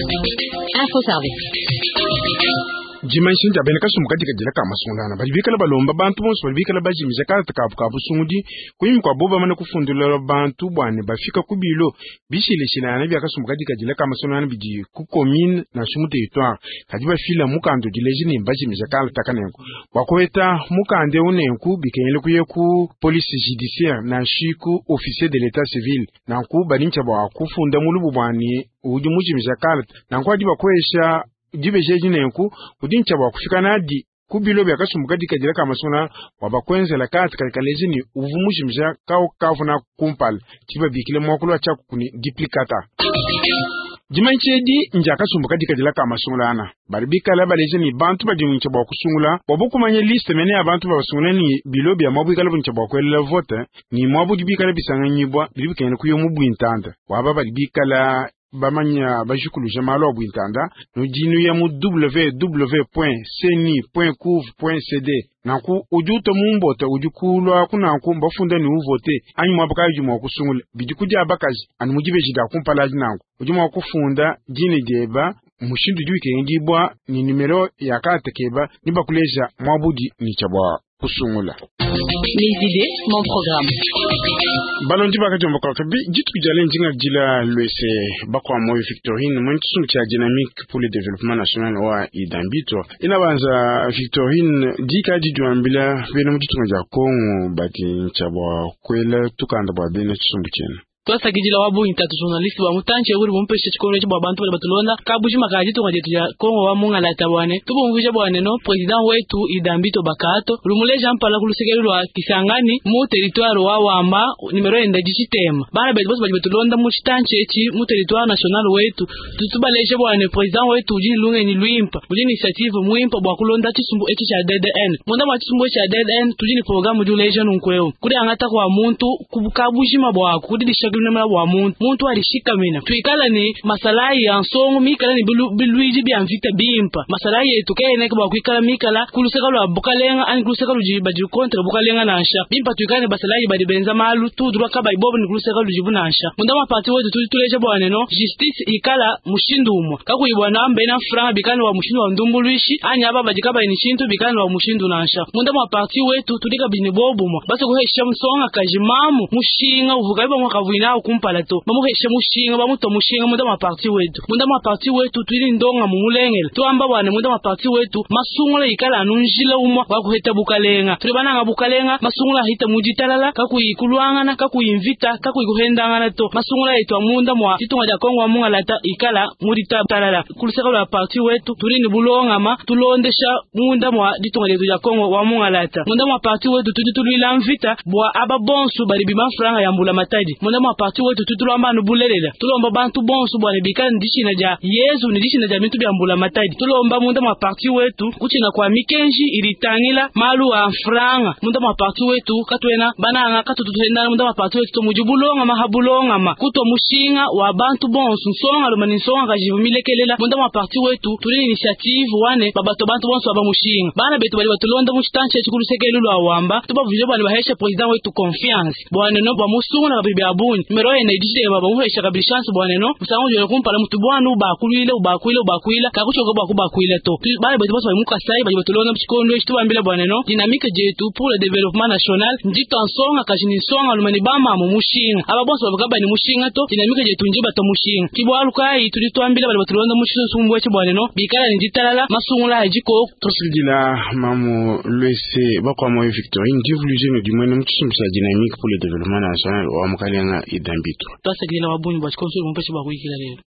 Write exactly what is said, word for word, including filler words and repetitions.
Info Service. Dimanyisha dia bena kasumbu kadikadila ka masungulana badi bikala balomba bantu bonso badi bikala bajimija kalata kabu ka busungudi kunyima kua bo bamane kufundula bantu bwane bafika ku bilo bishileshilana bia kasumbu kadikadila ka masungulana bidi ku commune nansha mu territoire kadi bafila mukanda udileji ne bajimija kalata kanenku bua kuheta mukanda eu nenku bikengele kuye ku police judiciaire nansha ku officier de l'état civil nanku badi ntshia bua kufunda mulubu bwane udi mujimija kalata nanku adi bakwesha dibejeji nenku udi ntshia bua kufika nadi ku bilo bia kasumbu kadikadila ka masungula wa bakwenzela kati kadi kaleji ni uvu mujimija kau kavuna kumpala tshibabikile muakulu wa tshiaku kuni duplicata. Dimanyisha edi ndia kasumbu kadikadila ka masungulana badi bikala baleja ni bantu badi ntshia bua kusungula bua bukumanya liste mene ya bantu babasungula ni bilo bia muabu ikala ntshia bua kuelela vote ni muabu udi bikala bisanganyibwa bidi bikengela kuya mu buintanda waba badi bikala bamanya bajikuluja malu a buintanda nudinu ya mu w w point ceni point couv point c d nanku udi uta mumbota udi kulwa kunanku mbafunda ni uvote anyi muaba kayi udi mua kusungula bidi kudi abakaji anu mudibeji dia kumpala adi nanku udi mua kufunda dina dieba mushindu udi wikengedibwa ni numero ya karte keba ni bakuleja muabudi ni tshia bua kusungula. Mes idées, mon programme. Balondi bakajomba bi dituku dia lendinga dila lwese bakwa moyo Victorine mwene tshisumbu tshia Dynamique pour le développement national wa Idambito ina banza Victorine dika didiwambila bena mu ditunga dia Kongo badi ntshia bua kuela tukanda bua bena tshisumbu tshiena. Twasakidila wa bungi tatu journaliste wa mutantshi uri bumpeshe tshikondo etshi bua bantu badi batulonda kabujima ka ditunga dietu dia Kongo wa mungalata bwane tubumvuija bwane no president wetu Idambito Bakato lumuleja mpala ku lusekelo lwa Kisangani mu territoire wa Wamba numero enda ditshitema bana betu bonso badi batulonda mu tshitantshi etshi mu territoire national wetu tutubaleje bwane president wetu udi lungenyi luimpa udi initiative muimpa bua kulonda tshisumbu etshi tshia D D N munda mwa tshisumbu etshi tshia D D N tudi ni programme udi uleja nunkueu kudi angata kwa muntu kabujima bwaku kudi dishakilimela bua muntu muntu alishikamina tuikala ni masalayi ya nsongo mikala ni bilu- bilwiji bya mvita bimpa masalayi yetu keneke bua kuikala mikala kuluseka lwa bukalenga ani kuluseka ludi badi contre bukalenga nansha bimpa tuikala ni basalayi badi benza malu tudulwa kabayi bobo ni kuluseka ludibu nansha munda mwa parti wetu tudi tuleja bwane no justice ikala mushindu umwe kakuyi bwana mbena franga bikala wa mushindu wa ndumbulwishi ani aba badi kabayi ni shintu bikala wa mushindu nansha munda mwa parti wetu tudi kabini bobumwa basi kuhesha msonga kajimamu mushinga uvuka bamwe kavuina kumpala to bamuhesha mushinga bamuto mushinga munda mwa parti wetu munda mwa parti wetu tudi ndonga mumulengele tuamba bwane munda mwa parti wetu masungula ikala anu njila umwa wakuheta bukalenga tuli bananga bukalenga masungula ahita muditalala kakuyi kulwangana kakuyi mvita kakuyi kuhendangana to masungula yetu amunda mwa ditunga dia Kongo amungalata ikala muditalala kuluseka lwa parti wetu tuli ni bulongama tulondesha munda mwa ditunga dietu dia Kongo wa mungalata munda mwa parti wetu tudi tulwila mvita bua aba bonso bali bima franga ya mbula matadi munda mwa parti wetu tudi tulomba anu bulelela tulomba bantu bonso bwane bikala ni dishina dia Yezu ni dishina dia bintu bya mbula matadi tulomba munda mwa parti wetu kuchina kwa mikenji ilitangila malu a franga munda mwa parti wetu katwena bananga katutuhendana munda mwa parti wetu tomudi bulongama ha bulongama kuto mushinga wa bantu bonso nsonga loma ni nsonga kajivumilekelela munda mwa parti wetu tuli ni initiative wane babato bantu bonso aba mushinga bana betu bali batulonda mu chitanchi echi kulusekelu lwa Wamba tubavuje bwane bahesha president wetu confiance bwane no bamusungula kabili bya bunyi numero ene idishile bamuhesha kabili chance bwane no musango jone kumpala mutu bwana ubakulwile ubakwile ubakwila kakuchoka bwakubakwila to Tu- bana betu bonso bali mukasai bali batulonda mu chikondo echi tubambila bwane no Dynamique dietu pour le développement national ndito nsonga kaji ni nsonga lumani bamamu mushinga aba bonso babakaba ni mushinga to Dynamique dietu ndi bato mushinga kibwalu kai tudi twambila bali batulonda mu chisumbu echi bwane no bikala ni ditalala masungula ajiko. Twasakidila mamu lwese bakwa moyo Victorine divuluje ne dimwene mu tshisumbu tshia Dynamique pour le développement national wa mukalenga Idambito. Twasakidila wabunyi bwa chikonso mumpeshe bwa kuikila lelo.